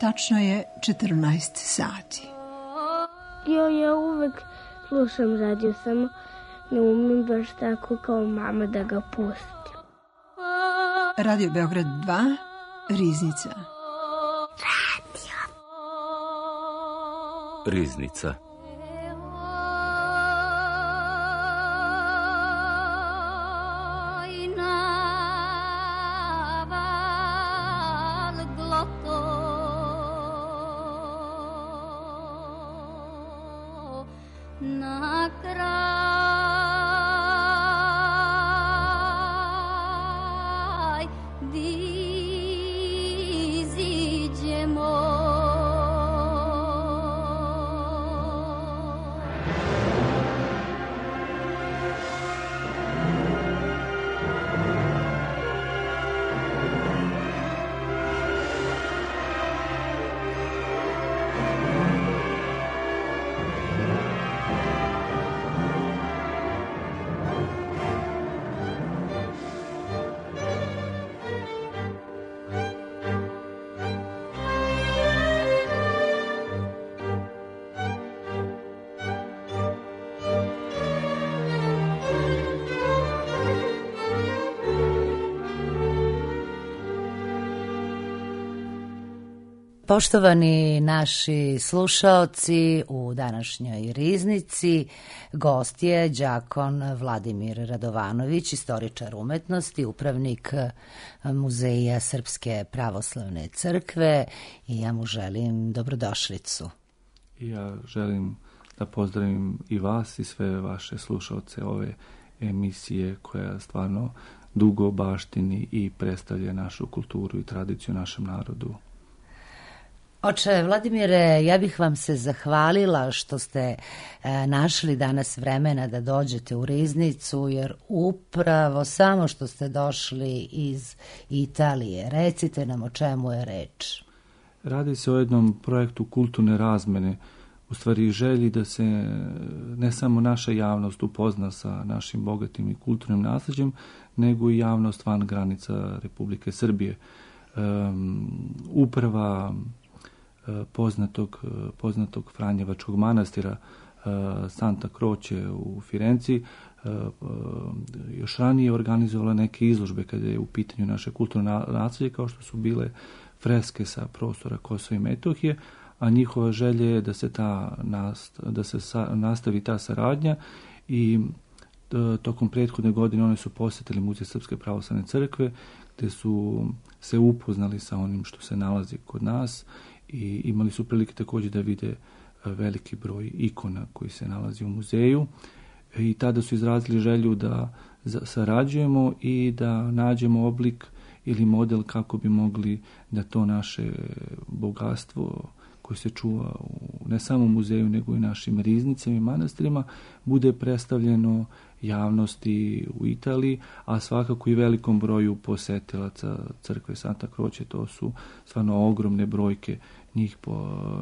Tačno je 14 sati. Ja uvek slušam radio, samo ne umem baš tako kao mama da ga pustim. Radio Beograd 2, Riznica. Riznica. Poštovani naši slušaoci, u današnjoj Riznici gost je đakon Vladimir Radovanović, istoričar umetnosti, upravnik Muzeja Srpske pravoslavne crkve, i ja mu želim dobrodošlicu. Ja želim da pozdravim i vas i sve vaše slušaoce ove emisije koja stvarno dugo baštini i predstavlja našu kulturu i tradiciju našem narodu. Oče Vladimire, ja bih vam se zahvalila što ste našli danas vremena da dođete u Riznicu, jer upravo samo što ste došli iz Italije. Recite nam o čemu je reč. Radi se o jednom projektu kulturne razmene, u stvari želji da se ne samo naša javnost upozna sa našim bogatim i kulturnim nasleđem, nego i javnost van granica Republike Srbije. Uprava poznatog Franjevačkog manastira Santa Croce u Firenci još ranije organizovala neke izložbe kada je u pitanju naše kulturno nasleđe, kao što su bile freske sa prostora Kosova i Metohije, a njihova želja je da se nastavi ta saradnja i tokom prethodne godine oni su posjetili Muzej Srpske pravoslavne crkve, gde su se upoznali sa onim što se nalazi kod nas i imali su prilike također da vide veliki broj ikona koji se nalazi u muzeju, i tada su izrazili želju da sarađujemo i da nađemo oblik ili model kako bi mogli da to naše bogatstvo koje se čuva ne samo u muzeju nego i našim riznicama i manastirima bude predstavljeno javnosti u Italiji, a svakako i velikom broju posetilaca crkve Santa Croce. To su stvarno ogromne brojke,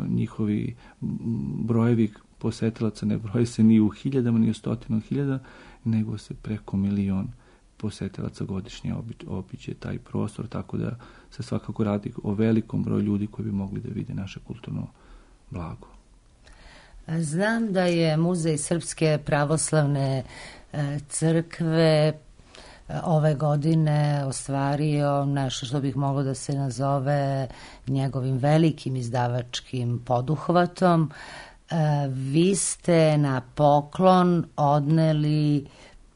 njihovi brojevi posetilaca ne broje se ni u hiljadama, ni u stotinama hiljada, nego se preko 1 milion posetilaca godišnje obiđe taj prostor, tako da se svakako radi o velikom broju ljudi koji bi mogli da vide naše kulturno blago. Znam da je Muzej Srpske pravoslavne crkve ove godine ostvario nešto što bih moglo da se nazove njegovim velikim izdavačkim poduhvatom. Vi ste na poklon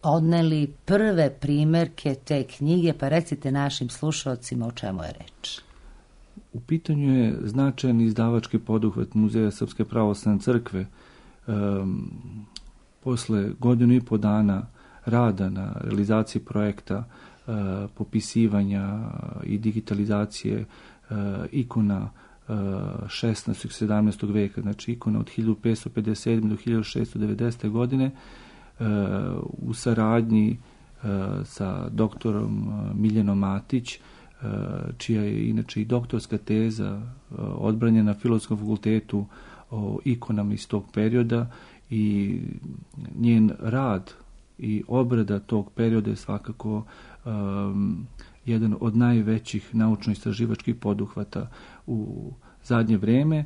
odneli prve primerke te knjige, pa recite našim slušalcima o čemu je reč. U pitanju je značajan izdavački poduhvat Muzeja Srpske pravoslavne crkve. Posle 1,5 godina dana rada na realizaciji projekta, popisivanja i digitalizacije ikona 16. i 17. veka, znači ikona od 1557. do 1690. godine, u saradnji sa doktorom Miljanom Matić, čija je inače i doktorska teza odbranjena na Filozofskom fakultetu o ikonama iz tog perioda, i njen rad i obrada tog perioda je svakako jedan od najvećih naučno-istraživačkih poduhvata u zadnje vreme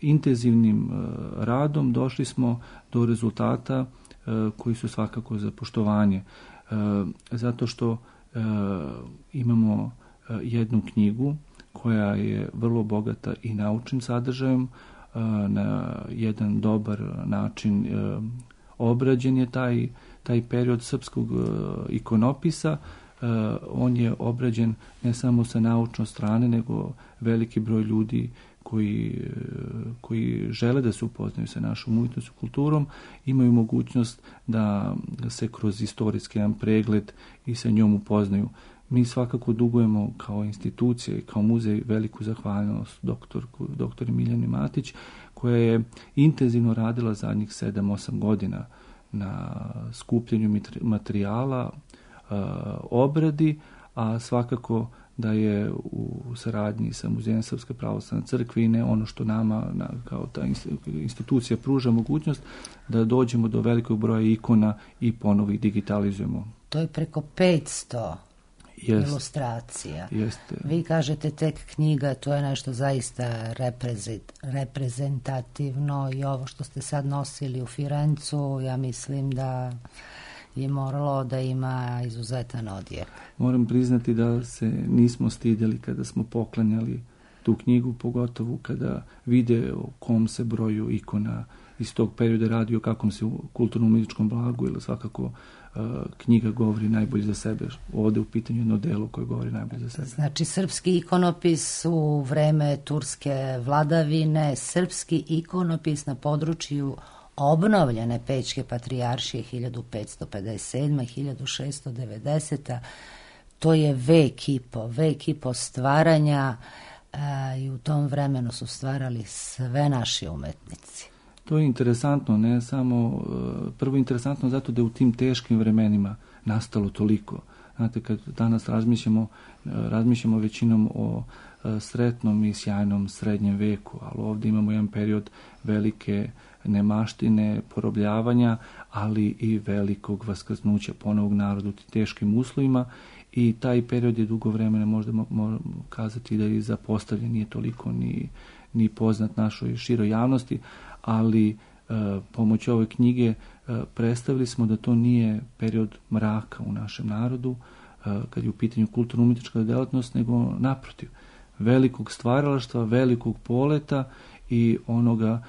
intenzivnim radom došli smo do rezultata koji su svakako za poštovanje. Zato što imamo jednu knjigu koja je vrlo bogata i naučnim sadržajem, na jedan dobar način obrađen je taj period srpskog ikonopisa. On je obrađen ne samo sa naučne strane, nego veliki broj ljudi koji žele da se upoznaju sa našom umjetnošću, kulturom, imaju mogućnost da se kroz istorijski jedan pregled i sa njom upoznaju. Mi dugujemo kao institucija i kao muzej veliku zahvalnost doktor Miljani Matić, koja je intenzivno radila zadnjih 7-8 godina na skupljanju materijala, obradi, a svakako da je u saradnji sa Muzejem Srpske pravoslavne crkve i ne ono što nama kao ta institucija pruža mogućnost da dođemo do velikog broja ikona i ponovo ih digitalizujemo. To je preko 500 ilustracija. Jeste. Vi kažete tek knjiga, to je nešto zaista reprezentativno i ovo što ste sad nosili u Firencu, ja mislim da je moralo da ima izuzetan odjek. Moram priznati da se nismo stidjeli kada smo poklanjali tu knjigu, pogotovo kada vide o kom se broju ikona iz tog perioda radi, o kakvom se kulturno-umjetničkom blagu, ili svakako knjiga govori najbolje za sebe. Ovdje u pitanju jedno delo koje govori najbolje za sebe. Znači, srpski ikonopis u vreme turske vladavine, srpski ikonopis na području obnovljene Pećke patrijaršije 1557. 1690. To je vek i po stvaranja i u tom vremenu su stvarali sve naši umetnici. To je interesantno, ne samo, prvo interesantno zato da je u tim teškim vremenima nastalo toliko. Znate, kad danas razmišljamo većinom o sretnom i sjajnom srednjem veku, ali ovdje imamo jedan period velike nemaštine, porobljavanja, ali i velikog vaskrsnuća ponovog naroda u teškim uslovima, i taj period je dugo vremena, možda možemo kazati da je zapostavljen, nije toliko ni poznat našoj široj javnosti, ali pomoću ove knjige predstavili smo da to nije period mraka u našem narodu, kad je u pitanju kulturno-umjetnička djelatnost, nego naprotiv, velikog stvaralaštva, velikog poleta i onoga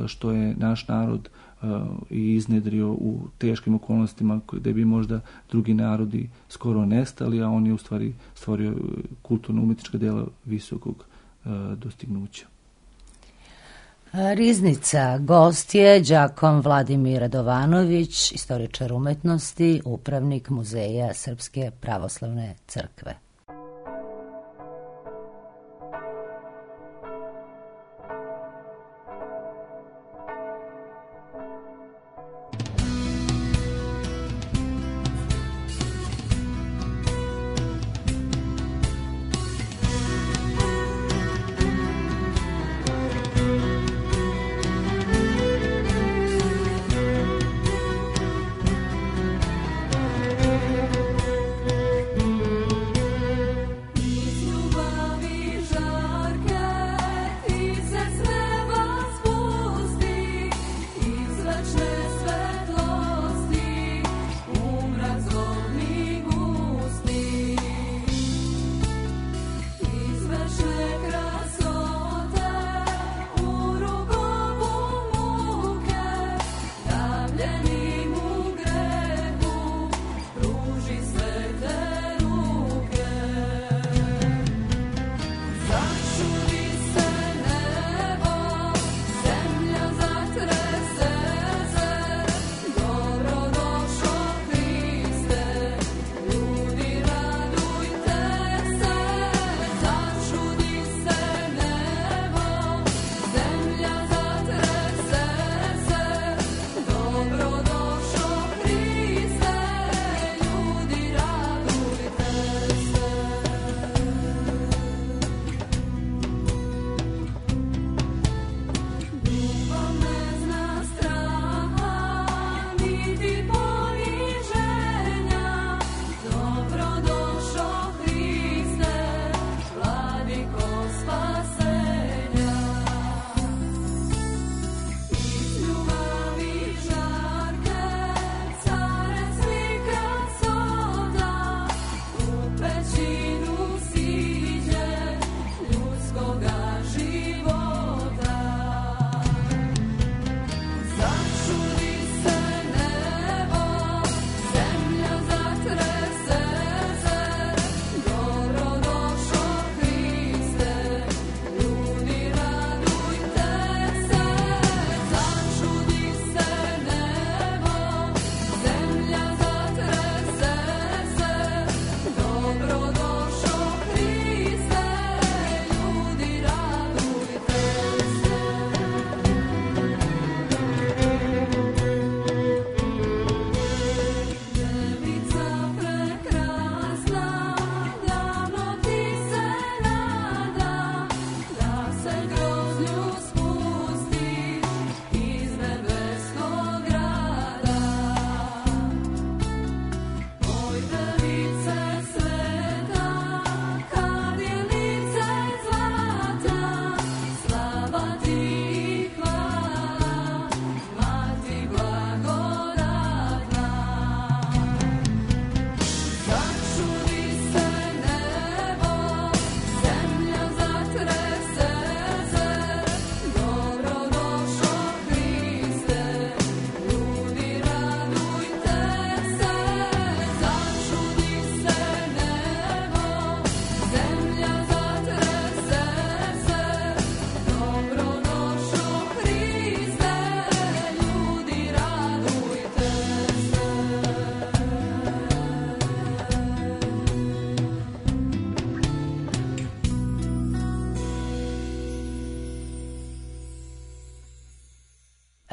što je naš narod i iznedrio u teškim okolnostima gdje bi možda drugi narodi skoro nestali, a on je u stvari stvorio kulturno-umjetnička djela visokog dostignuća. Riznica, gost je đakom Vladimir Radovanović, istoričar umetnosti, upravnik Muzeja Srpske pravoslavne crkve.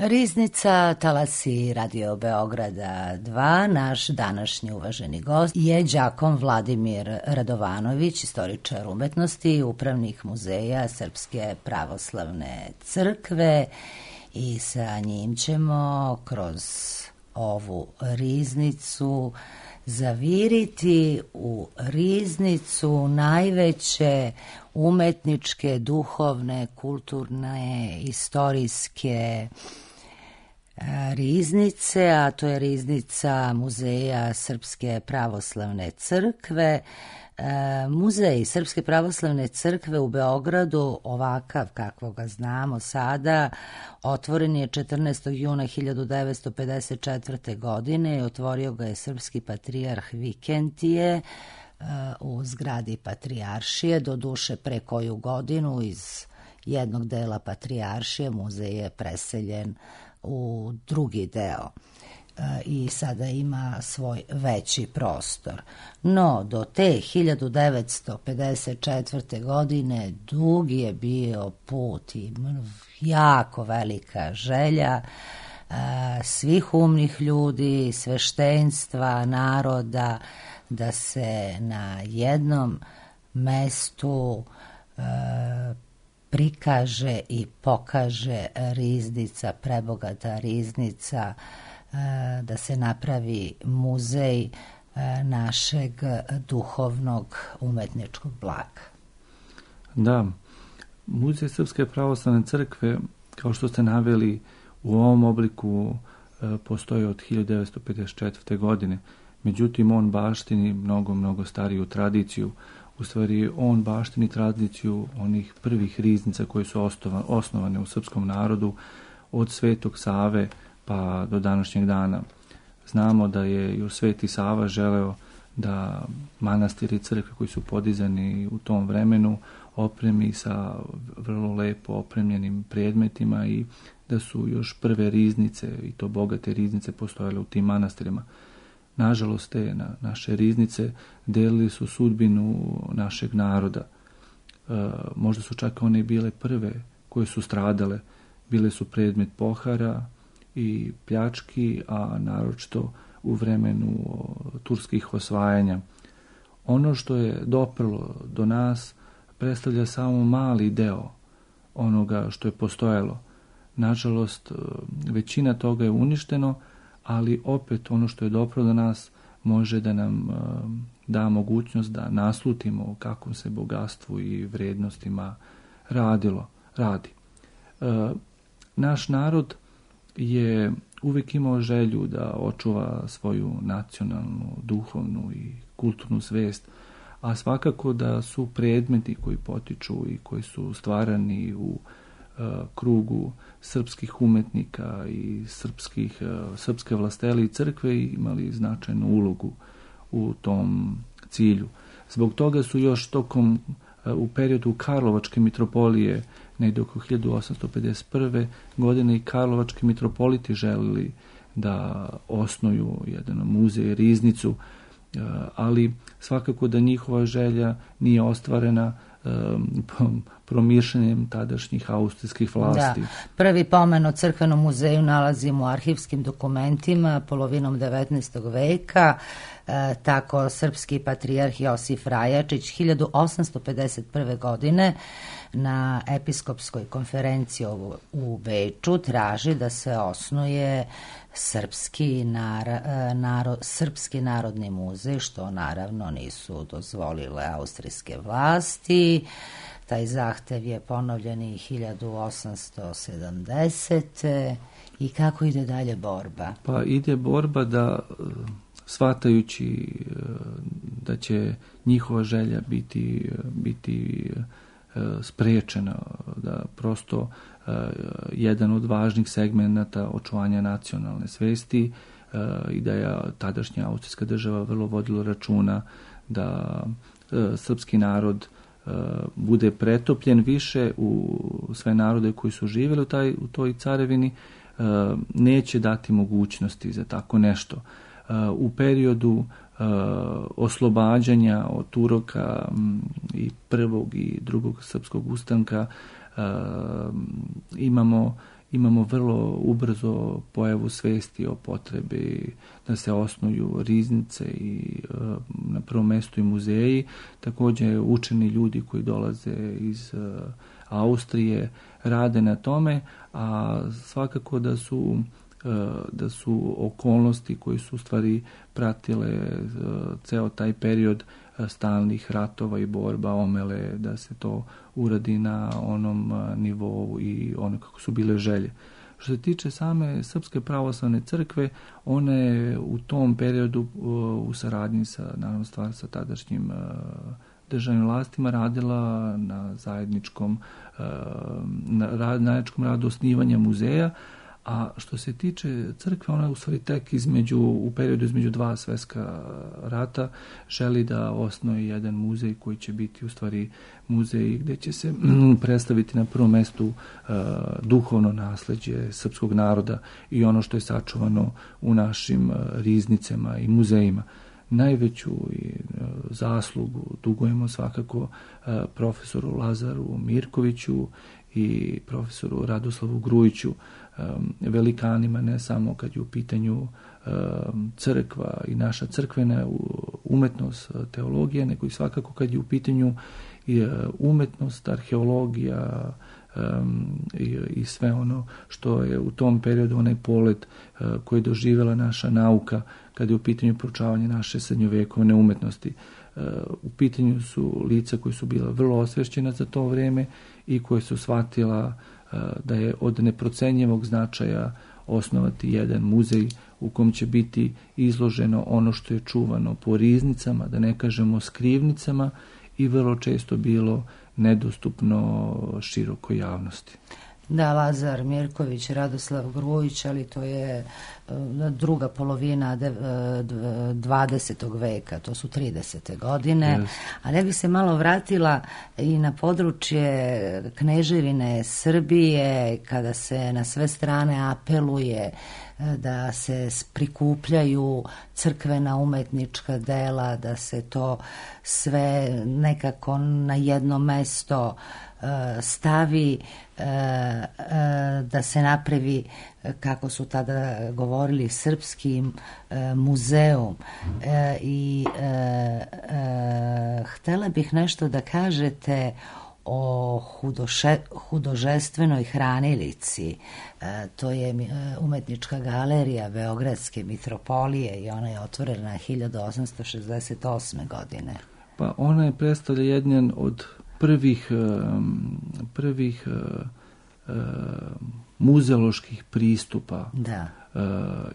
Riznica, talasi Radio Beograda 2. Naš današnji uvaženi gost je đakon Vladimir Radovanović, istoričar umetnosti, upravnik muzeja Srpske pravoslavne crkve, i sa njim ćemo kroz ovu riznicu zaviriti u riznicu najveće umetničke, duhovne, kulturne, istorijske riznice, a to je riznica Muzeja Srpske pravoslavne crkve. Muzej Srpske pravoslavne crkve u Beogradu, ovakav kakvo ga znamo sada, otvoren je 14. juna 1954. godine i otvorio ga je srpski patrijarh Vikentije u zgradi Patrijaršije. Doduše, pre koju godinu iz jednog dela Patrijaršije muzej je preseljen u drugi deo i sada ima svoj veći prostor. No, do te 1954. godine dug je bio put i jako velika želja svih umnih ljudi, sveštenstva, naroda, da se na jednom mestu prikaže i pokaže riznica, prebogata riznica, da se napravi muzej našeg duhovnog umetničkog blaga. Da, Muzej Srpske pravoslavne crkve, kao što ste naveli, u ovom obliku postoji od 1954. godine. Međutim, on baštini mnogo stariju tradiciju. U stvari, on baštini tradiciju onih prvih riznica koje su osnovane u srpskom narodu od Svetog Save pa do današnjeg dana. Znamo da je još Sveti Sava želeo da manastiri i crkve koji su podizani u tom vremenu opremi sa vrlo lepo opremljenim predmetima i da su još prve riznice, i to bogate riznice, postojale u tim manastirima. Nažalost, te naše riznice delili su sudbinu našeg naroda. Možda su čak one bile prve koje su stradale, bile su predmet pohara i pljački, a naročito u vremenu turskih osvajanja. Ono što je doprlo do nas predstavlja samo mali deo onoga što je postojalo. Nažalost, većina toga je uništeno, ali opet ono što je doprlo do nas može da nam da mogućnost da naslutimo o kakvom se bogatstvu i vrednostima radi. Naš narod je uvijek imao želju da očuva svoju nacionalnu, duhovnu i kulturnu svest, a svakako da su predmeti koji potiču i koji su stvarani u krugu srpskih umetnika i srpske vlastele i crkve imali značajnu ulogu u tom cilju. Zbog toga su još u periodu Karlovačke mitropolije, negdje oko 1851. godine, i karlovački mitropoliti želili da osnuju jedan muzej, riznicu, ali svakako da njihova želja nije ostvarena promišljanjem tadašnjih austrijskih vlasti. Da. Prvi pomen o crkvenom muzeju nalazimo u arhivskim dokumentima polovinom 19. veka. Tako srpski patrijarh Josif Rajačić 1851. godine na episkopskoj konferenciji u Beču traži da se osnuje Srpski narodni muzej, što naravno nisu dozvolile austrijske vlasti. Taj zahtev je ponovljen i 1870. I kako ide dalje borba? Pa ide borba da, shvatajući da će njihova želja biti sprečena, da prosto jedan od važnih segmenata očuvanja nacionalne svesti i da je tadašnja austrijska država vrlo vodila računa da srpski narod bude pretopljen više u sve narode koji su živjeli u toj carevini, neće dati mogućnosti za tako nešto. U periodu oslobađanja od Turaka i prvog i drugog srpskog ustanka imamo imamo vrlo ubrzo pojavu svesti o potrebi da se osnuju riznice i na prvom mjestu i muzeji. Također učeni ljudi koji dolaze iz Austrije rade na tome, a svakako da su okolnosti koji su u stvari pratile ceo taj period stalnih ratova i borba omele da se to uradi na onom nivou i ono kako su bile želje. Što se tiče same Srpske pravoslavne crkve, ona je u tom periodu u saradnji sa, naravno stvar sa tadašnjim državnim vlastima radila na zajedničkom radu osnivanja muzeja, a što se tiče crkve, ona je u stvari tek u periodu između dva svjetska rata želi da osnuje jedan muzej koji će biti u stvari muzej gdje će se predstaviti na prvom mjestu duhovno nasleđe srpskog naroda i ono što je sačuvano u našim riznicama i muzejima. Najveću zaslugu dugujemo svakako profesoru Lazaru Mirkoviću i profesoru Radoslavu Grujiću, velikanima ne samo kad je u pitanju crkva i naša crkvena umetnost, teologija, nego i svakako kad je u pitanju umetnost, arheologija i sve ono što je u tom periodu onaj polet koji je doživjela naša nauka kad je u pitanju proučavanje naše srednjovekovne umetnosti. U pitanju su lica koji su bila vrlo osvješćena za to vrijeme i koje su shvatila da je od neprocenjivog značaja osnovati jedan muzej u kom će biti izloženo ono što je čuvano po riznicama, da ne kažemo skrivnicama, i vrlo često bilo nedostupno širokoj javnosti. Da, Lazar Mirković, Radoslav Grujić, ali to je druga polovina 20. veka, to su 30. godine. Yes. Ali ja bih se malo vratila i na područje Kneževine Srbije, kada se na sve strane apeluje da se prikupljaju crkvena umetnička dela, da se to sve nekako na jedno mesto stavi, da se napravi, kako su tada govorili, srpski muzeum. I htjela bih nešto da kažete o hudožestvenoj hranilici. To je umetnička galerija Beogradske mitropolije i ona je otvorena 1868. godine. Pa ona je predstavlja jedan od prvih muzeoloških pristupa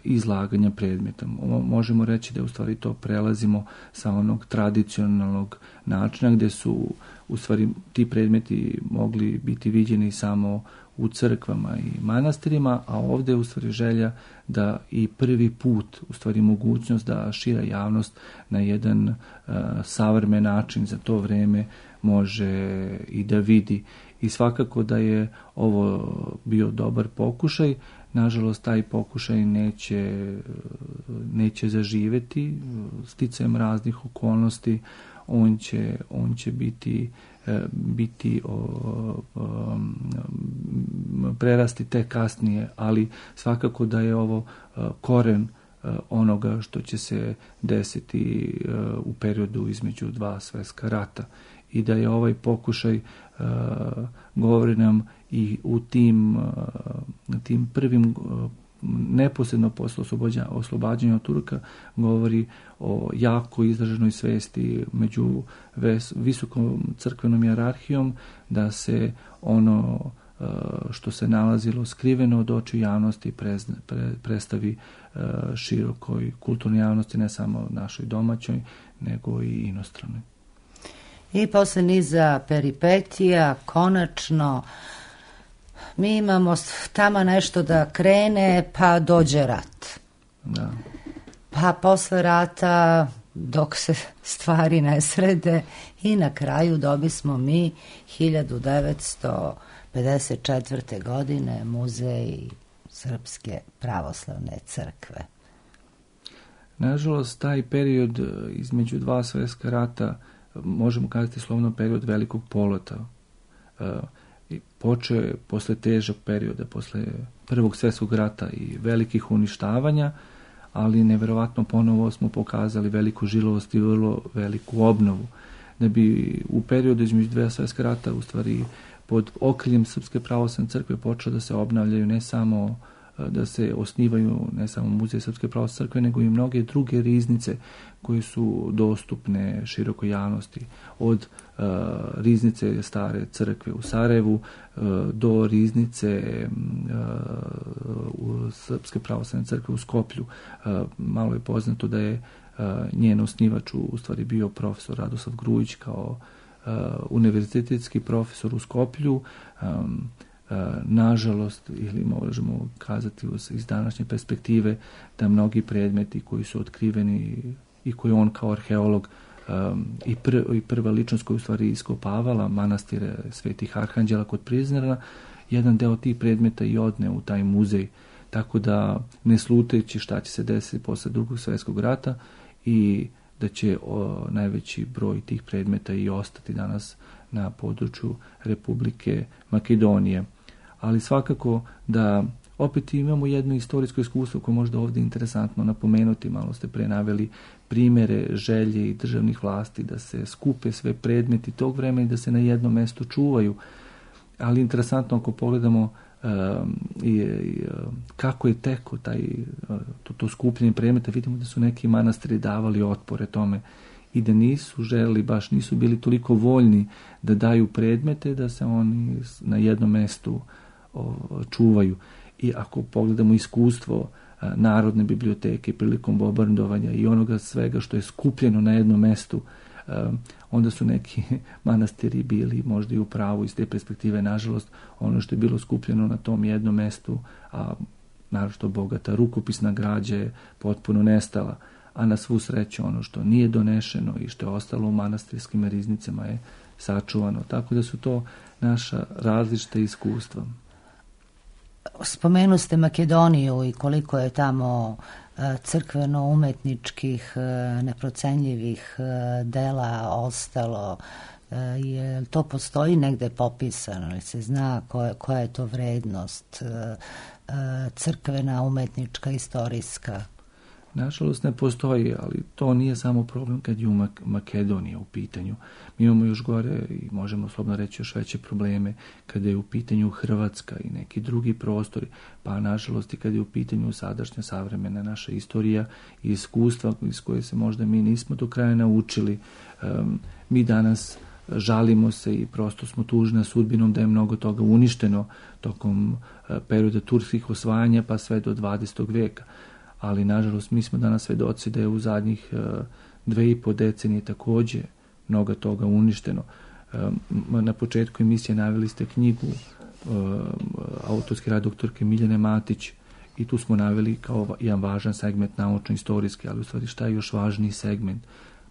izlaganja predmeta. Možemo reći da u stvari to prelazimo sa onog tradicionalnog načina gdje su u stvari ti predmeti mogli biti viđeni samo u crkvama i manastirima, a ovdje je u stvari želja da i prvi put, u stvari mogućnost da šira javnost na jedan savremen način za to vrijeme može i da vidi. I svakako da je ovo bio dobar pokušaj. Nažalost, taj pokušaj neće zaživjeti sticajem raznih okolnosti. On će biti prerasti tek kasnije, ali svakako da je ovo koren onoga što će se desiti u periodu između dva svjetska rata. I da je ovaj pokušaj, govori nam i u tim prvim neposredno posle oslobađanja od Turka, govori o jako izraženoj svesti među visokom crkvenom hijerarhijom da se ono što se nalazilo skriveno od očiju javnosti predstavi širokoj kulturnoj javnosti, ne samo našoj domaćoj, nego i inostranoj. I posle niza peripetija, konačno, mi imamo tamo nešto da krene, pa dođe rat. Da. Pa posle rata, dok se stvari ne srede, i na kraju dobismo mi 1954. godine Muzej Srpske pravoslavne crkve. Nažalost, taj period između dva svjetska rata, možemo kazati slovno period velikog poleta. počeo je posle težog perioda, posle Prvog svjetskog rata i velikih uništavanja, ali neverovatno ponovo smo pokazali veliku žilavost i vrlo veliku obnovu. Da bi u periodu između dve svjetska rata, u stvari pod okriljem Srpske pravoslavne crkve, počeo da se obnavljaju ne samo da se osnivaju ne samo muzej Srpske pravoslavne crkve, nego i mnoge druge riznice koje su dostupne širokoj javnosti, od riznice Stare crkve u Sarajevu do riznice Srpske pravoslavne crkve u Skoplju. Malo je poznato da je njen osnivač u stvari bio profesor Radoslav Grujić kao univerzitetski profesor u Skoplju. Nažalost, ili možemo kazati iz današnje perspektive, da mnogi predmeti koji su otkriveni i koji on kao arheolog i prva ličnost koja u stvari iskopavala manastire Svetih Arhanđela kod Prizrena, jedan deo tih predmeta i odne u taj muzej. Tako da, ne slutajući šta će se desiti posle Drugog svjetskog rata, i da će najveći broj tih predmeta i ostati danas na području Republike Makedonije. Ali svakako da opet imamo jedno istorijsko iskustvo koje možda ovdje interesantno napomenuti. Malo ste pre naveli primjere želje i državnih vlasti da se skupe sve predmeti tog vremena i da se na jednom mjestu čuvaju. Ali interesantno ako pogledamo kako je teko to skupljanje predmeta, vidimo da su neki manastiri davali otpore tome i da nisu želeli, baš nisu bili toliko voljni da daju predmete, da se oni na jednom mjestu čuvaju. I ako pogledamo iskustvo Narodne biblioteke prilikom bombardovanja i onoga svega što je skupljeno na jednom mjestu, onda su neki manastiri bili možda i u pravu iz te perspektive. Nažalost, ono što je bilo skupljeno na tom jednom mjestu, a naročito bogata rukopisna građa, je potpuno nestala, a na svu sreću ono što nije donešeno i što je ostalo u manastirskim riznicama je sačuvano. Tako da su to naša različita iskustva. Spomenu ste Makedoniju i koliko je tamo crkveno-umetničkih neprocenljivih dela ostalo. Je to postoji negde popisano, ali se zna koja je to vrednost crkvena, umetnička, istorijska? Nažalost ne postoji, ali to nije samo problem kad je u Makedonija u pitanju. Mi imamo još gore i možemo slobodno reći još veće probleme kada je u pitanju Hrvatska i neki drugi prostori, pa nažalost i kada je u pitanju sadašnja savremena naša istorija i iskustva iz koje se možda mi nismo do kraja naučili. Mi danas žalimo se i prosto smo tužni sudbinom da je mnogo toga uništeno tokom perioda turskih osvajanja pa sve do 20. veka. Ali nažalost mi smo danas svedoci da je u zadnjih 2,5 decenije također mnogo toga uništeno. Na početku emisije naveli ste knjigu autorski rad doktorke Miljane Matić i tu smo naveli kao jedan važan segment naučno-istorijski, ali u stvari šta je još važniji segment?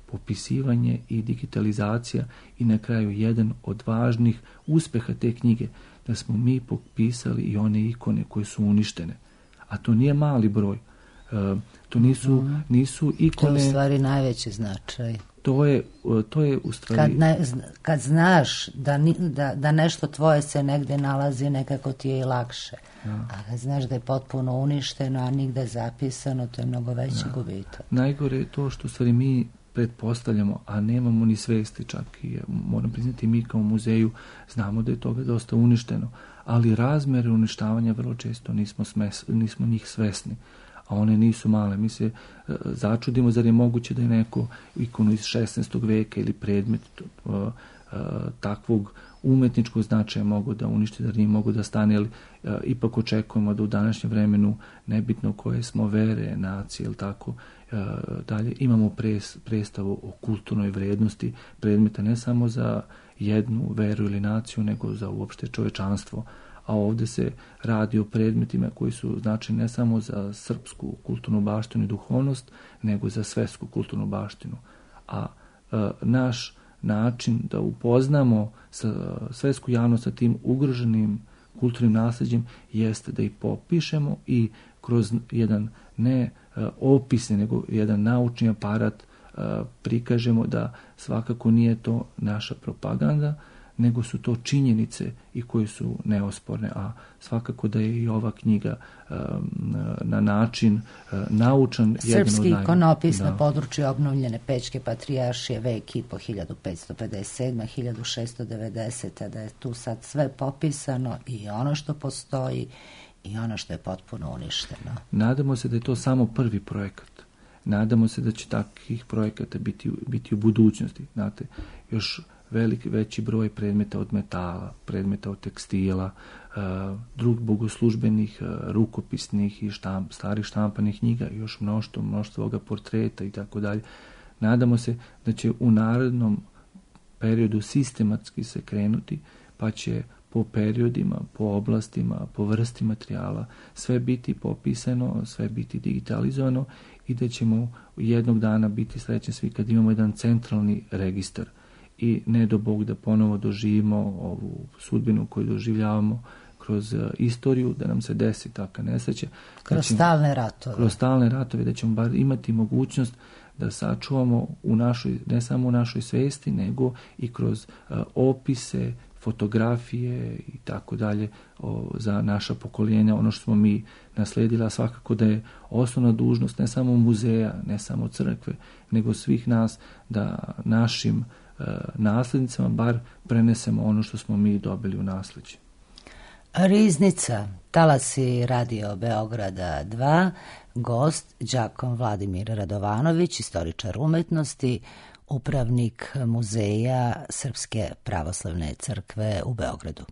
Popisivanje i digitalizacija i na kraju jedan od važnih uspeha te knjige da smo mi popisali i one ikone koje su uništene. A to nije mali broj. To nisu ikone. To je u stvari najveći značaj. To je u stvari... Kad znaš da nešto tvoje se negde nalazi, nekako ti je i lakše. A kad znaš da je potpuno uništeno, a nigde zapisano, to je mnogo veći gubitak. Najgore je to što stvari mi pretpostavljamo, a nemamo ni svesti, čak i moram priznati mi kao muzeju znamo da je toga dosta uništeno, ali razmere uništavanja vrlo često nismo njih svesni. A one nisu male. Mi se začudimo zar je moguće da je neko ikonu iz 16. veka ili predmet takvog umetničkog značaja mogu da uništi, da nije mogu da stane, ali ipak očekujemo da u današnjem vremenu, nebitno koje smo vere, nacije ili tako dalje, imamo predstavu o kulturnoj vrednosti predmeta ne samo za jednu veru ili naciju, nego za uopšte čovečanstvo. A ovdje se radi o predmetima koji su značajni ne samo za srpsku kulturnu baštinu i duhovnost, nego za svetsku kulturnu baštinu. A naš način da upoznamo svetsku javnost sa tim ugroženim kulturnim nasljeđem jeste da ih popišemo i kroz jedan ne opisni, nego jedan naučni aparat prikažemo da svakako nije to naša propaganda, nego su to činjenice i koje su neosporne, a svakako da je i ova knjiga na način naučan. Srpski ikonopis na području obnovljene Pećke patrijaršije vek i po 1557. 1690. da je tu sad sve popisano i ono što postoji i ono što je potpuno uništeno. Nadamo se da je to samo prvi projekat. Nadamo se da će takvih projekata biti u budućnosti. Znate, još veći broj predmeta od metala, predmeta od tekstila, drugih bogoslužbenih, rukopisnih i starih štampanih knjiga, još mnoštvo ovoga portreta i tako dalje. Nadamo se da će u narednom periodu sistematski se krenuti, pa će po periodima, po oblastima, po vrsti materijala sve biti popisano, sve biti digitalizovano i da ćemo jednog dana biti srećni svi kad imamo jedan centralni registar i ne do Bog da ponovo doživimo ovu sudbinu koju doživljavamo kroz istoriju, da nam se desi takva nesreća. Kroz stalne ratove. Kroz stalne ratove, da ćemo bar imati mogućnost da sačuvamo ne samo u našoj svesti, nego i kroz opise, fotografije i tako dalje za naša pokoljenja, ono što smo mi nasledila, svakako da je osnovna dužnost ne samo muzeja, ne samo crkve, nego svih nas da našim naslednicama bar prenesemo ono što smo mi dobili u nasleđe. Riznica, talasi Radio Beograda 2, gost đakon Vladimir Radovanović, istoričar umetnosti, upravnik Muzeja Srpske pravoslavne crkve u Beogradu.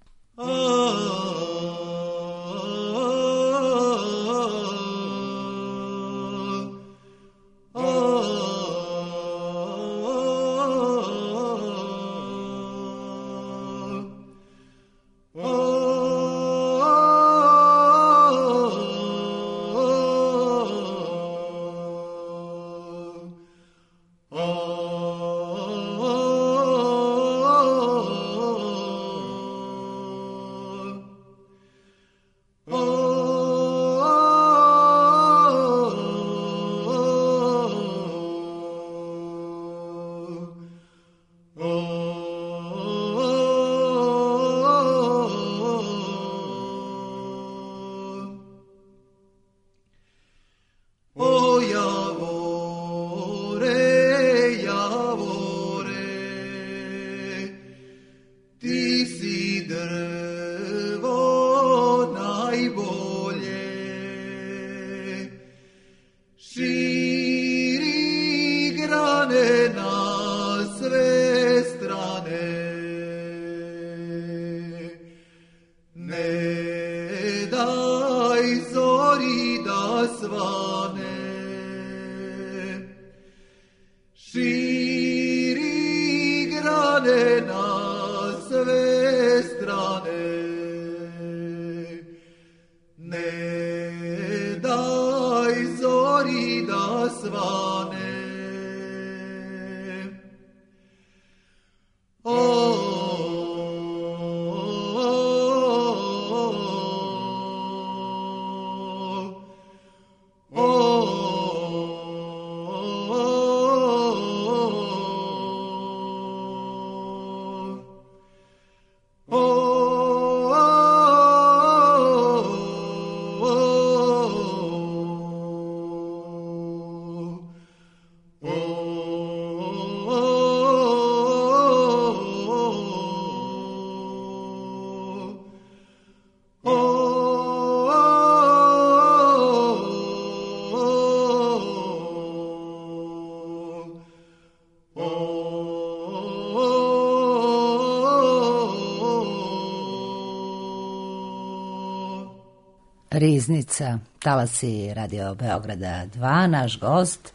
Riznica, talasi Radio Beograda 2, naš gost,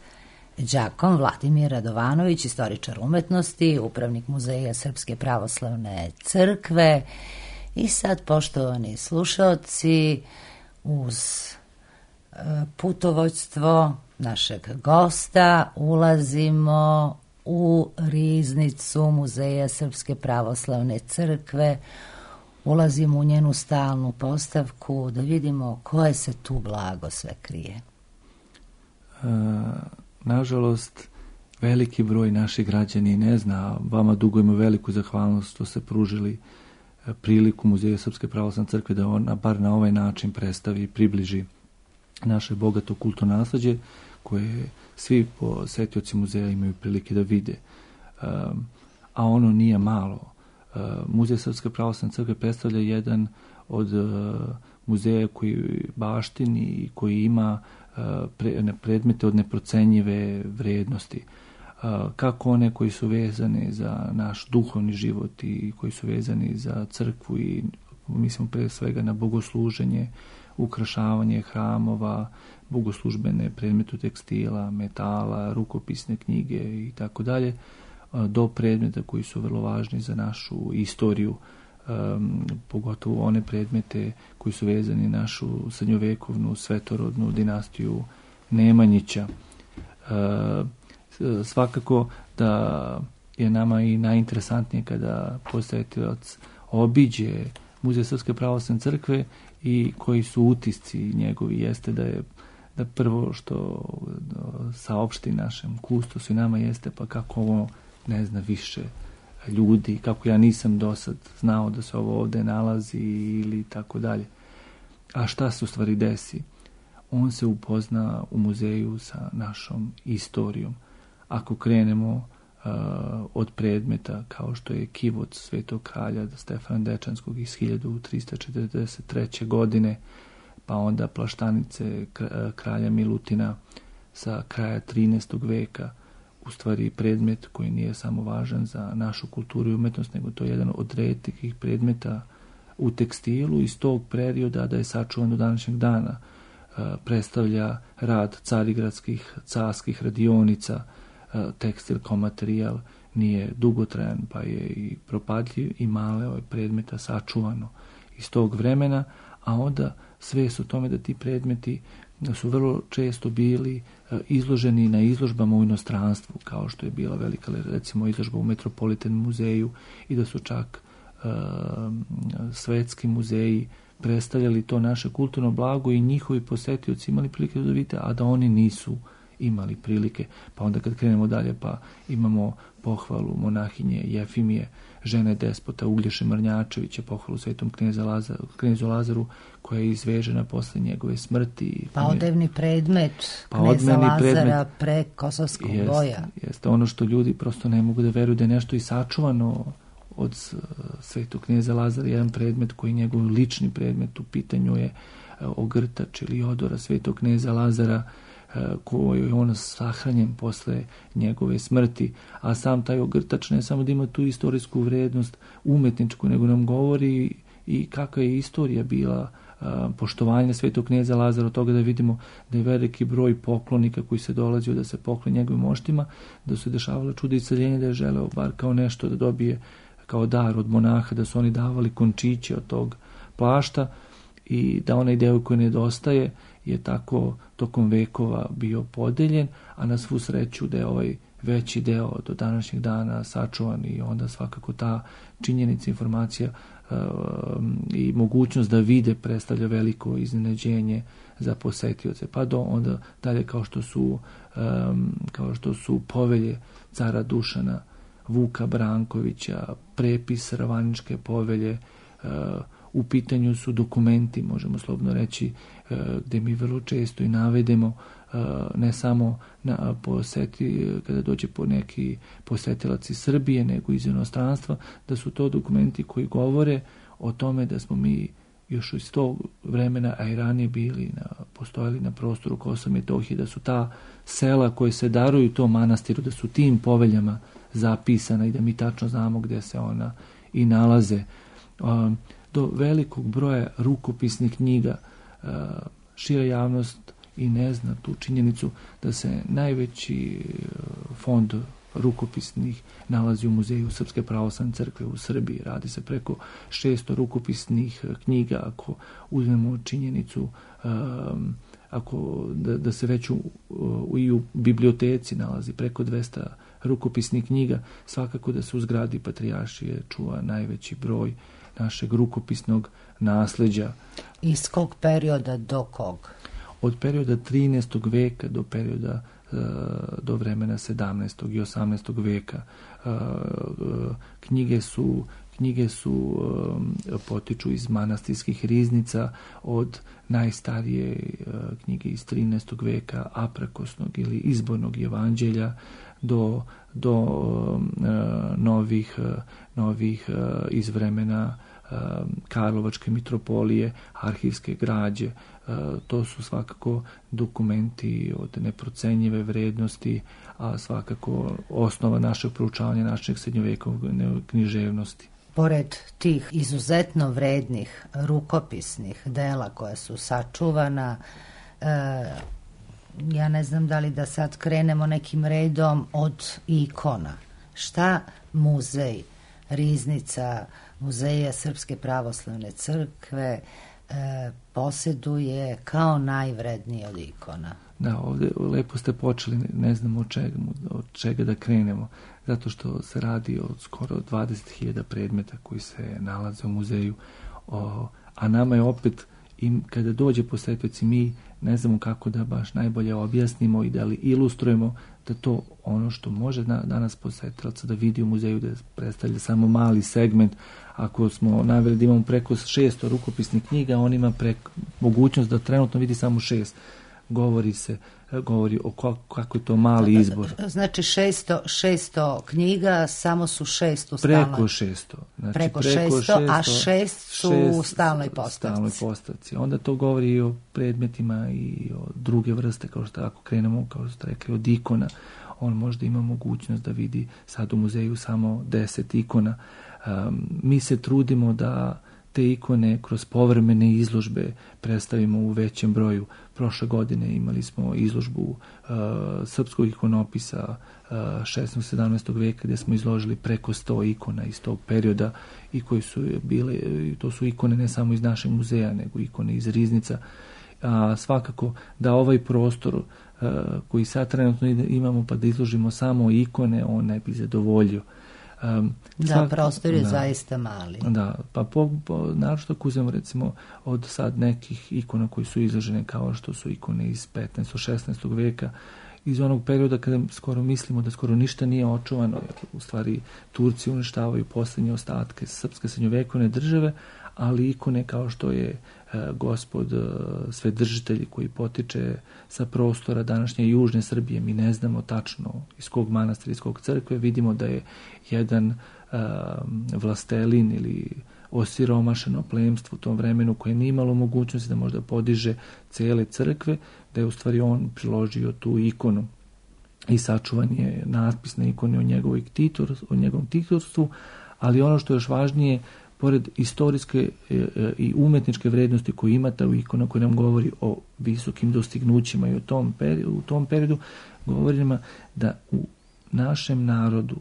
đakon Vladimir Radovanović, istoričar umetnosti, upravnik Muzeja Srpske pravoslavne crkve. I sad, poštovani slušaoci, uz putovođstvo našeg gosta ulazimo u riznicu Muzeja Srpske pravoslavne crkve, ulazimo u njenu stalnu postavku da vidimo koje se tu blago sve krije. Nažalost, veliki broj naših građani ne zna. Vama dugujemo veliku zahvalnost što ste pružili priliku Muzeju Srpske pravoslavne crkve da ona bar na ovaj način predstavi i približi naše bogato kulturno nasleđe koje svi posetioci muzeja imaju prilike da vide. A ono nije malo. Muzej Srpske pravoslavne crkve predstavlja jedan od muzeja koji baštini i koji ima predmete od neprocenjive vrednosti. Kako one koji su vezani za naš duhovni život i koji su vezani za crkvu i mislim pre svega na bogosluženje, ukrašavanje hramova, bogoslužbene predmete tekstila, metala, rukopisne knjige i tako dalje, do predmeta koji su vrlo važni za našu istoriju, pogotovo one predmete koji su vezani na našu srednjovekovnu svetorodnu dinastiju Nemanjića. Svakako da je nama i najinteresantnije kada posetilac obiđe Muzej Srpske pravoslavne crkve i koji su utisci njegovi. Jeste da prvo što saopšti našem kustosu i nama jeste pa kako ovo ne zna više ljudi, kako ja nisam do sad znao da se ovo ovde nalazi ili tako dalje. A šta se u stvari desi? On se upozna u muzeju sa našom istorijom. Ako krenemo od predmeta kao što je kivot Svetog kralja Stefana Dečanskog iz 1343. godine, pa onda plaštanice kralja Milutina sa kraja 13. veka, u stvari predmet koji nije samo važan za našu kulturu i umetnost, nego to je jedan od retkih predmeta u tekstilu iz tog perioda da je sačuvan do današnjeg dana. Predstavlja rad carigradskih, carskih radionica, tekstil kao materijal nije dugotrajan pa je i propadljiv i malo je predmeta sačuvano iz tog vremena, a onda svest o tome da ti predmeti su vrlo često bili izloženi na izložbama u inostranstvu, kao što je bila velika recimo izložba u Metropolitan muzeju i da su čak svetski muzeji predstavljali to naše kulturno blago i njihovi posetioci imali prilike da vidite, a da oni nisu imali prilike. Pa onda kad krenemo dalje pa imamo pohvalu monahinje Jefimije, žene despota Uglješe Mrnjačevića, pohvalu svetom knezu Lazaru koja je izvežena posle njegove smrti. Pa odevni predmet kneza Lazara pre Kosovskog boja. Jeste ono što ljudi prosto ne mogu da veruju da je nešto i sačuvano od svetog kneza Lazara, jedan predmet koji je njegov lični predmet, u pitanju je ogrtač ili odora svetog kneza Lazara koji je on sahranjen posle njegove smrti, a sam taj ogrtač ne samo da ima tu istorijsku vrednost umetničku, nego nam govori i kakva je istorija bila poštovanja svetog kneza Lazara, od toga da vidimo da je veliki broj poklonika koji se dolazio da se pokloni njegovim moštima, da su dešavala čuda isceljenja, da je želeo bar kao nešto da dobije kao dar od monaha, da su oni davali končiće od tog plašta i da onaj deo koji nedostaje je tako tokom vekova bio podeljen, a na svu sreću da je ovaj veći deo do današnjeg dana sačuvan i onda svakako ta činjenica, informacija i mogućnost da vide predstavlja veliko iznenađenje za posetioce. Pa do onda dalje kao što su povelje cara Dušana, Vuka Brankovića, prepis Ravaničke povelje, u pitanju su dokumenti, možemo slobodno reći, gde mi vrlo često i navedemo ne samo kada dođe po neki posetilac iz Srbije, nego iz inostranstva, da su to dokumenti koji govore o tome da smo mi još iz tog vremena, a i ranije postojali na prostoru Kosova i Metohije, da su ta sela koje se daruju tom manastiru, da su tim poveljama zapisana i da mi tačno znamo gde se ona i nalaze. Do velikog broja rukopisnih knjiga šira javnost i ne zna tu činjenicu da se najveći fond rukopisnih nalazi u Muzeju Srpske pravoslavne crkve u Srbiji. Radi se preko 600 rukopisnih knjiga, ako uzmemo činjenicu da se već i u biblioteci nalazi preko 200 rukopisnih knjiga, svakako da se u zgradi Patrijaršije čuva najveći broj našeg rukopisnog nasleđa. Iz kog perioda do kog? Od perioda 13. veka do perioda do vremena 17. i 18. veka. Knjige su potiču iz manastirskih riznica, od najstarije knjige iz 13. veka, aprakosnog ili izbornog evanđelja, do novih iz vremena Karlovačke mitropolije, arhivske građe. To su svakako dokumenti od neprocenjive vrednosti, a svakako osnova našeg proučavanja našeg srednjovekovne književnosti. Pored tih izuzetno vrednih rukopisnih dela koja su sačuvana, ja ne znam da li da sad krenemo nekim redom od ikona. Šta muzej Riznica, Muzeja Srpske pravoslavne crkve posjeduje kao najvredniji od ikona? Da, ovdje lepo ste počeli, ne znam od čega da krenemo, zato što se radi o skoro 20.000 predmeta koji se nalaze u muzeju, a nama je opet, kada dođe posjetioc, mi ne znamo kako da baš najbolje objasnimo i da li ilustrujemo da to ono što može danas posjetioca da vidi u muzeju, da predstavlja samo mali segment. Ako smo naveli da imamo preko 600 rukopisnih knjiga, on ima mogućnost da trenutno vidi samo 6. Govori o kako je to mali izbor. Znači 600 knjiga, samo su 6 u stalnoj... Preko 600. Znači preko 600, a 6 su u stalnoj postavci. Onda to govori i o predmetima i o druge vrste, kao što ako krenemo, kao što ste rekli, od ikona. On možda ima mogućnost da vidi sad u muzeju samo 10 ikona. Mi se trudimo da te ikone kroz povremene izložbe predstavimo u većem broju. Prošle godine imali smo izložbu srpskog ikonopisa 16. 17. veka gdje smo izložili preko 100 ikona iz tog perioda i koji su bile, to su ikone ne samo iz našeg muzeja, nego ikone iz Riznica. Svakako da ovaj prostor koji sad trenutno imamo pa da izložimo samo ikone, on ne bi zadovoljio. Prostor je zaista mali. Da, pa naročito ako uzmemo recimo od sad nekih ikona koji su izložene kao što su ikone iz 15. 16. veka, iz onog perioda kada skoro mislimo da skoro ništa nije očuvano, jer u stvari Turci uništavaju posljednje ostatke srpske srednjovekovne države, ali ikone kao što je Gospod Svedržitelj koji potiče sa prostora današnje južne Srbije, mi ne znamo tačno iz kog manastira, iz kog crkve, vidimo da je jedan vlastelin ili osiromašeno plemstvo u tom vremenu koje nije imalo mogućnosti da možda podiže cele crkve, da je u stvari on priložio tu ikonu i sačuvan je natpis na ikone o njegovom titorstvu, ali ono što je još važnije, pored istorijske i umetničke vrednosti koju ima ta ikona koja nam govori o visokim dostignućima i u tom periodu, govori nam da u našem narodu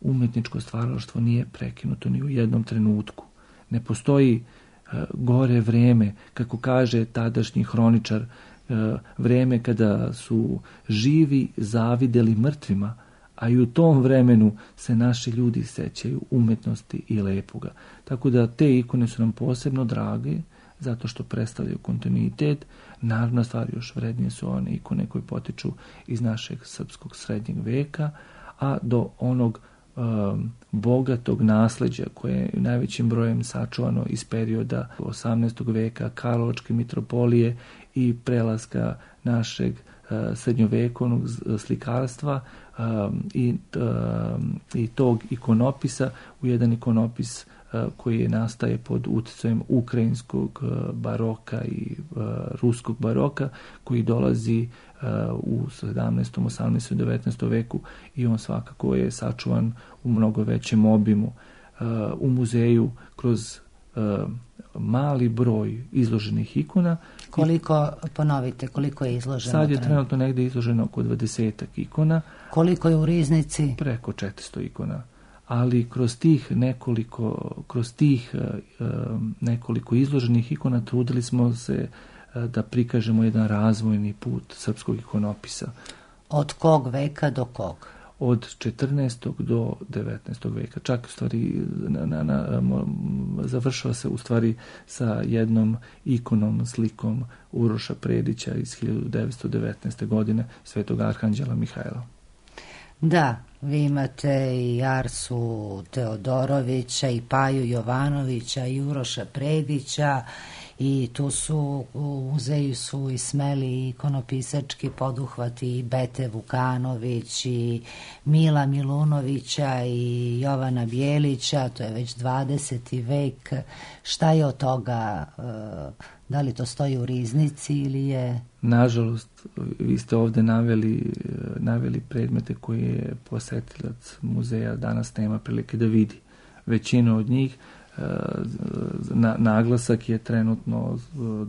umetničko stvaralaštvo nije prekinuto ni u jednom trenutku. Ne postoji gore vreme, kako kaže tadašnji hroničar, vreme kada su živi zavideli mrtvima, a i u tom vremenu se naši ljudi sećaju umetnosti i lepoga. Tako da te ikone su nam posebno drage, zato što predstavljaju kontinuitet. Naravno, stvari još vrednije su one ikone koje potiču iz našeg srpskog srednjeg veka, a do onog bogatog nasleđa koje je najvećim brojem sačuvano iz perioda 18. veka, Karlovačke mitropolije i prelaska našeg srednjovekovnog slikarstva i tog ikonopisa u jedan ikonopis koji nastaje pod utjecajem ukrajinskog baroka i ruskog baroka, koji dolazi u 17., 18., 19. veku i on svakako je sačuvan u mnogo većem obimu. U muzeju kroz mali broj izloženih ikona. Koliko je izloženo? Sad je trenutno negdje izloženo oko 20 ikona. Koliko je u Riznici? Preko 400 ikona. Ali kroz tih nekoliko izloženih ikona trudili smo se da prikažemo jedan razvojni put srpskog ikonopisa. Od kog veka do kog? od 14. do 19. veka. Čak u stvari završava se u stvari sa jednom ikonom, slikom Uroša Predića iz 1919. godine Svetog Arhanđela Mihajla. Da, vi imate i Arsu Teodorovića i Paju Jovanovića i Uroša Predića i tu su u muzeju su i smeli ikonopisački poduhvati i Bete Vukanović i Mila Milunovića i Jovana Bijelića, to je već 20. vek. Šta je od toga? Da li to stoji u riznici ili je... Nažalost, vi ste ovde naveli predmete koje je posetilac muzeja danas nema prilike da vidi. Većina od njih, naglasak je trenutno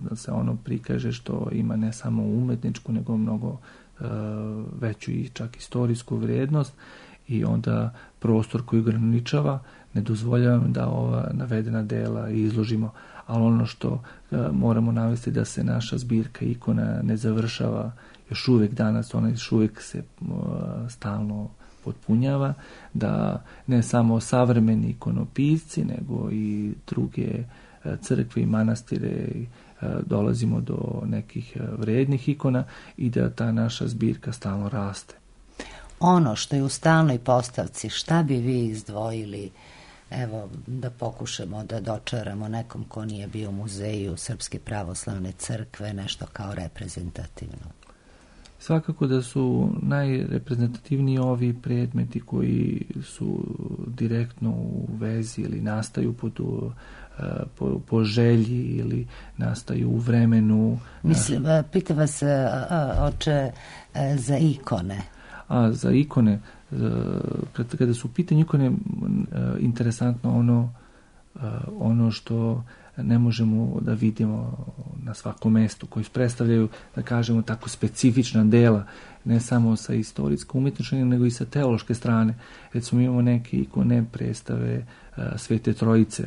da se ono prikaže što ima ne samo umetničku, nego mnogo veću i čak istorijsku vrijednost i onda prostor koji ograničava ne dozvoljava da ova navedena dela izložimo. Ali ono što moramo navesti da se naša zbirka ikona ne završava još uvijek danas, ona još uvijek se stalno potpunjava, da ne samo savremeni ikonopisci, nego i druge crkve i manastire dolazimo do nekih vrednih ikona i da ta naša zbirka stalno raste. Ono što je u stalnoj postavci, šta bi vi izdvojili? Evo, da pokušamo da dočaramo nekom ko nije bio u muzeju Srpske pravoslavne crkve, nešto kao reprezentativno. Svakako da su najreprezentativniji ovi predmeti koji su direktno u vezi ili nastaju po želji ili nastaju u vremenu. Mislim, pitam vas, oče, za ikone. Za ikone, kada su u pitanju ikone, interesantno ono što ne možemo da vidimo na svakom mestu, koji predstavljaju, da kažemo tako, specifična dela, ne samo sa istorijsko-umetničke, nego i sa teološke strane. Recimo imamo neke ikone predstave Svete Trojice.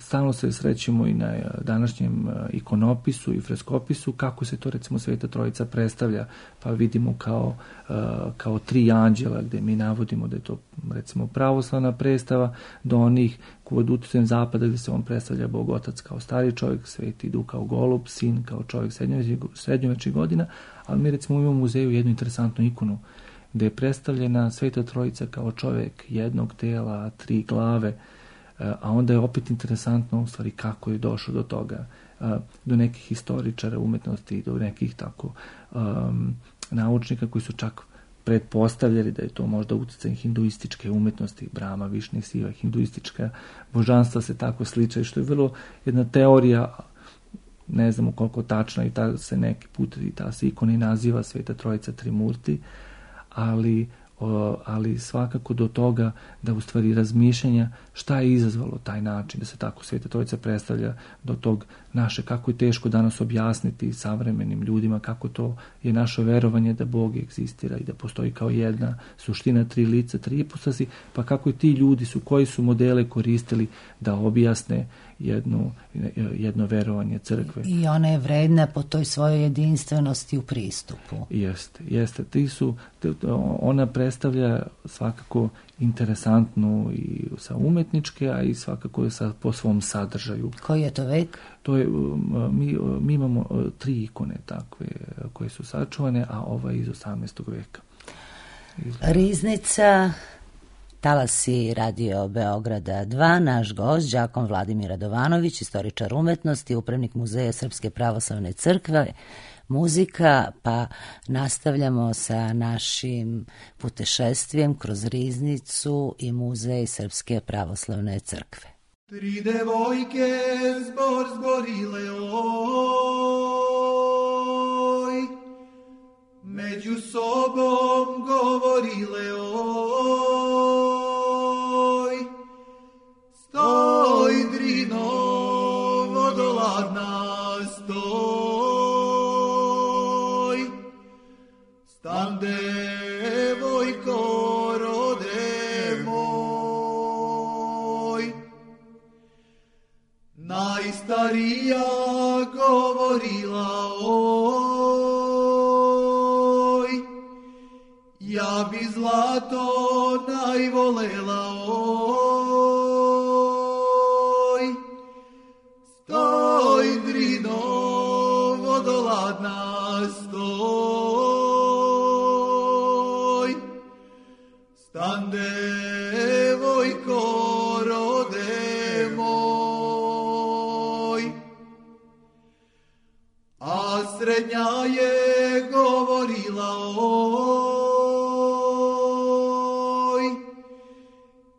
Stalno se srećemo i na današnjem ikonopisu i freskopisu kako se to recimo Sveta Trojica predstavlja, pa vidimo kao tri anđela gdje mi navodimo da je to recimo pravoslavna predstava, do onih kod uticajem zapada gdje se on predstavlja Bog Otac kao stari čovjek, Sveti Duh kao golub, Sin kao čovjek srednjovečnih godina, ali mi recimo imamo u muzeju jednu interesantnu ikonu gdje je predstavljena Sveta Trojica kao čovjek jednog tela, tri glave, a onda je opet interesantno u stvari kako je došlo do toga, do nekih historičara umetnosti, do nekih tako naučnika koji su čak pretpostavljali da je to možda utjecaj hinduističke umetnosti, Brahma, Višnu, Siva, hinduistička božanstva se tako sličaju, što je vrlo jedna teorija, ne znamo koliko tačna i ta se neki put i ta se ikona i naziva Sveta Trojica Trimurti, ali svakako do toga da u stvari razmišljanja šta je izazvalo taj način da se tako Sveta Trojica predstavlja, do tog naše, kako je teško danas objasniti savremenim ljudima kako to je naše verovanje da Bog egzistira i da postoji kao jedna suština, tri lica, tri ipostasi, pa kako i ti ljudi koji su modele koristili da objasne jedno verovanje crkve. I ona je vredna po toj svojoj jedinstvenosti u pristupu. Jeste. Ona predstavlja svakako interesantnu i sa umetničke, a i svakako po svom sadržaju. Koji je to vek? To je, mi imamo tri ikone takve koje su sačuvane, a ova iz 18. veka. Riznica, Talasi Radio Beograda 2, naš gost, đakon Vladimir Radovanović, istoričar umetnosti, upravnik Muzeja Srpske pravoslavne crkve, muzika, pa nastavljamo sa našim putešestvijem kroz Riznicu i Muzej Srpske pravoslavne crkve. Tri devojke zborile oj, među sobom govorile oj, stoj Drino vodoladna stoj, stan devojko rode moj. Najstarija govorila oj, ja zlato najvolela oj, stoj drino vodoladna stoj, stan devojko rode moj, a srednja je govorila oj,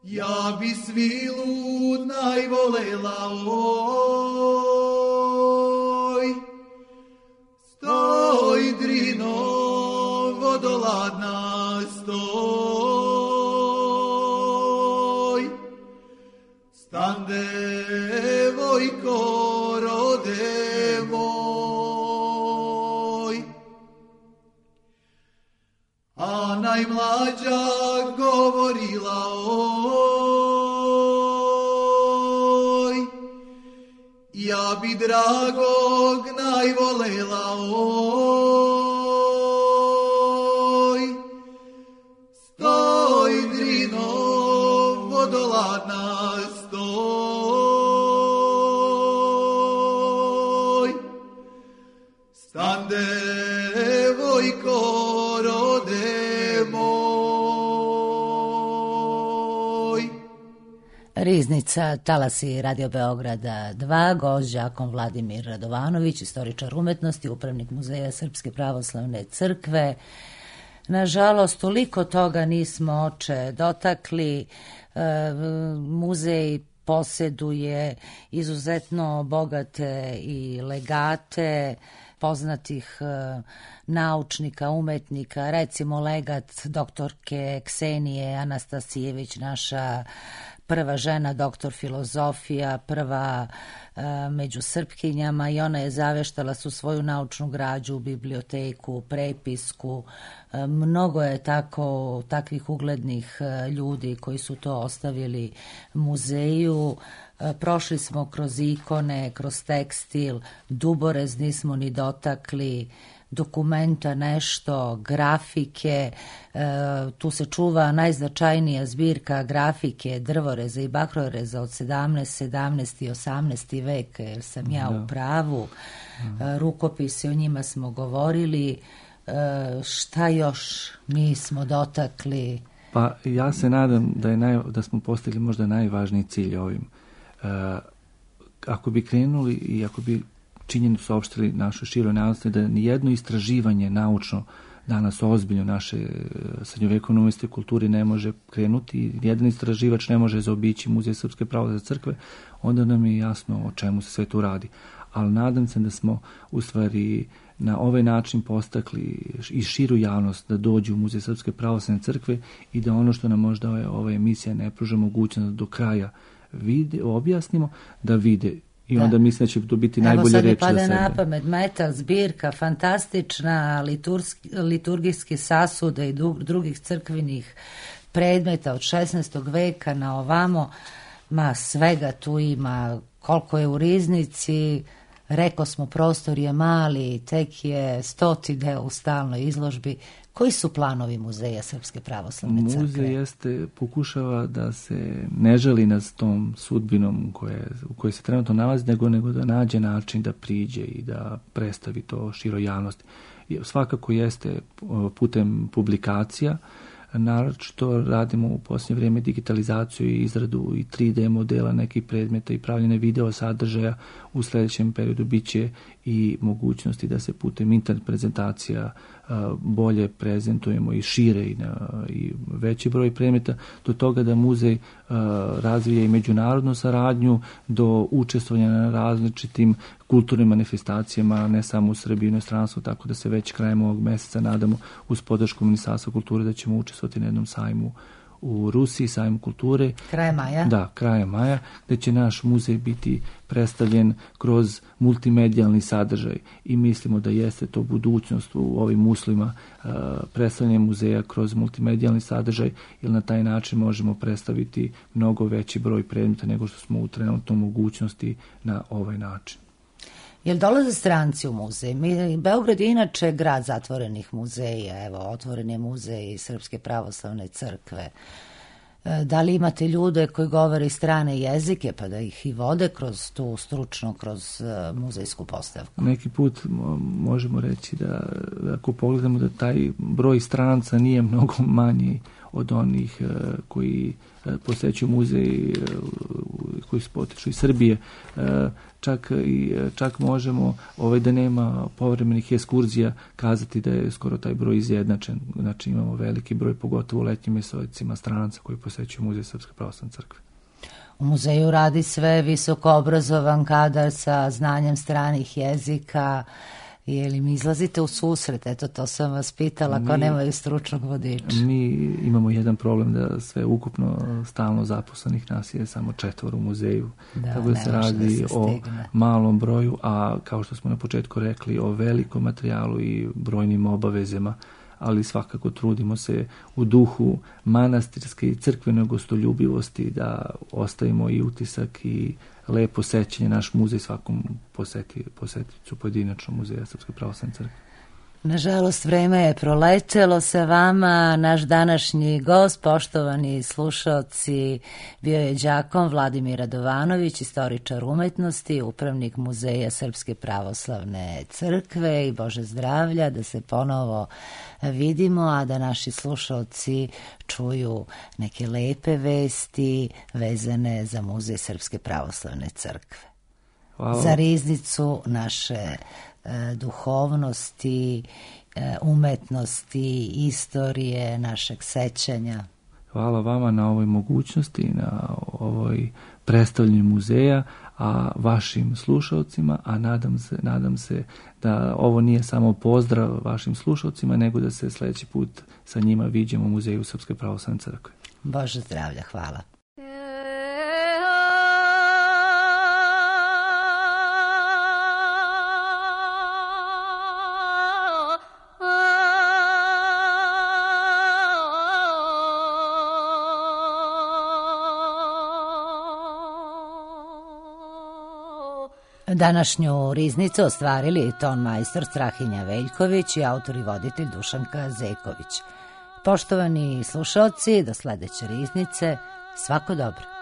ja bi svilu najvolela oj, stoj drino vodoladna stoj, stan devojko rode moj, a najmlađa govorila oj, ja bi dragog najvolela oj, stoj drino vodoladna stoj, stan devojko rode moj. Riznica, talasi Radio Beograda 2, gost đakon Vladimir Radovanović, istoričar umetnosti, upravnik Muzeja Srpske pravoslavne crkve. Nažalost, toliko toga nismo, oče, dotakli. Muzej posjeduje izuzetno bogate i legate poznatih naučnika, umetnika, recimo legat doktorke Ksenije Anastasijević, naša prva žena, doktor filozofija, prva među Srpkinjama, i ona je zaveštala su svoju naučnu građu, biblioteku, prepisku. Mnogo je takvih uglednih ljudi koji su to ostavili muzeju. Prošli smo kroz ikone, kroz tekstil, duborez nismo ni dotakli, dokumenta nešto, grafike, tu se čuva najznačajnija zbirka grafike, drvoreza i bakroreza od 17. i 18. vek, jer sam ja u pravu. Rukopise, o njima smo govorili. Šta još nismo dotakli? Pa ja se nadam da smo postigli možda najvažniji cilj ovim. Ako bi krenuli i ako bi činjenicu saopštili našoj široj javnosti da nijedno istraživanje naučno danas ozbiljno naše srednjovekovne umetnosti i kulturi ne može krenuti, nijedan istraživač ne može zaobići Muzej Srpske pravoslavne crkve, onda nam je jasno o čemu se sve tu radi. Ali nadam se da smo u stvari na ovaj način postakli i širu javnost da dođu u Muzej Srpske pravoslavne crkve i da ono što nam možda ova emisija ne pruža mogućnost da do kraja objasnimo, da vide. I onda mislim da će to biti najbolje reči za sebe. Evo sad mi pada na pamet metal zbirka, fantastična, liturgijski sasude i drugih crkvenih predmeta od 16. veka na ovamo. Ma svega tu ima, koliko je u riznici. Reko smo, prostor je mali, tek je 100. deo u stalnoj izložbi. Koji su planovi Muzeja Srpske pravoslavne crkve? Muzej pokušava da se ne žali nad tom sudbinom u kojoj se trenutno nalazi, nego da nađe način da priđe i da predstavi to široj javnosti. Svakako jeste putem publikacija, naročito radimo u posljednje vrijeme digitalizaciju i izradu i 3D modela nekih predmeta i pravljene video sadržaja. U sljedećem periodu bit će i mogućnosti da se putem internet prezentacija bolje prezentujemo i šire i veći broj predmeta, do toga da muzej razvija i međunarodnu saradnju, do učestvovanja na različitim kulturnim manifestacijama, ne samo u Srbiji i inostranstvu, tako da se već krajem ovog mjeseca nadamo uz podršku Ministarstva kulture da ćemo učestvovati na jednom sajmu u Rusiji, sajmu kulture. Krajem maja? Da, krajem maja, gdje će naš muzej biti predstavljen kroz multimedijalni sadržaj i mislimo da jeste to budućnost u ovim uslovima predstavljanja muzeja kroz multimedijalni sadržaj, jer na taj način možemo predstaviti mnogo veći broj predmeta nego što smo u trenutnoj mogućnosti na ovaj način. Jel dolaze stranci u muzej? Beograd je inače grad zatvorenih muzeja. Evo, otvoren je muzej Srpske pravoslavne crkve. Da li imate ljude koji govore strane jezike pa da ih i vode kroz tu stručno, kroz muzejsku postavku? Neki put možemo reći da ako pogledamo da taj broj stranca nije mnogo manji od onih koji posećuju muzej, koji se potiču iz Srbije. Čak možemo, da nema povremenih ekskurzija, kazati da je skoro taj broj izjednačen. Znači imamo veliki broj, pogotovo u letnjim mesecima, stranaca koji posećuju muzej Srpske pravoslavne crkve. U muzeju radi sve visoko obrazovan kadar sa znanjem stranih jezika. Je li mi izlazite u susret? Eto, to sam vas pitala, ako nemaju stručnog vodiča. Mi imamo jedan problem da sve ukupno stalno zaposlenih nas je samo 4 u muzeju. Tako da se radi o malom broju, a kao što smo na početku rekli, o velikom materijalu i brojnim obavezama, ali svakako trudimo se u duhu manastirske i crkvene gostoljubivosti da ostavimo i utisak i lepo sećanje naš muzej svakom poseticu pojedinačno muzeja Srpske pravoslavne crkve. Nažalost, vreme je proletelo sa vama. Naš današnji gost, poštovani slušaoci, bio je đakon Vladimir Radovanović, istoričar umetnosti, upravnik Muzeja Srpske pravoslavne crkve i Bože zdravlja, da se ponovo vidimo, a da naši slušaoci čuju neke lepe vesti vezane za Muzej Srpske pravoslavne crkve. Hvala. Za riznicu naše duhovnosti, umetnosti, istorije, našeg sećanja. Hvala vama na ovoj mogućnosti, na ovoj predstavljanju muzeja, a vašim slušalcima, a nadam se da ovo nije samo pozdrav vašim slušalcima, nego da se sljedeći put sa njima viđemo u Muzeju Srpske pravoslavne crkve. Bože zdravlja, hvala. Današnju riznicu ostvarili ton majstor Strahinja Veljković i autor i voditelj Dušanka Zeković. Poštovani slušalci, do sledeće riznice, svako dobro.